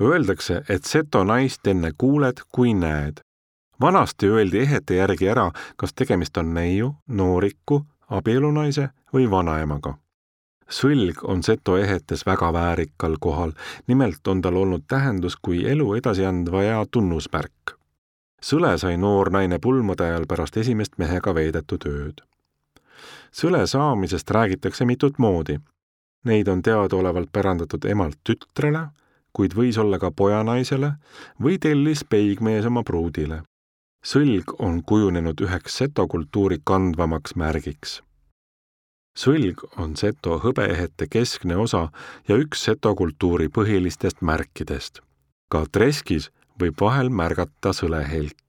Öeldakse, et seto naist enne kuuled, kui näed. Vanasti öeldi ehete järgi ära, kas tegemist on neiu, nooriku, abielunaise või vanaemaga. Sõlg on seto ehetes väga väärikal kohal, nimelt on tal olnud tähendus kui elu edasi andva ja tunnusmärk. Sõle sai noor naine pulmade ajal pärast esimest mehega veedetud ööd. Sõle saamisest räägitakse mitut moodi. Neid on teadaolevalt pärandatud emalt tütrele, kuid võis olla ka pojanaisele või tellis peigmees oma pruudile. Sõlg on kujunenud üheks seto kultuuri kandvamaks märgiks. Sõlg on seto hõbeehete keskne osa ja üks seto kultuuri põhilistest märkidest. Ka treskis võib vahel märgata sõlehelki.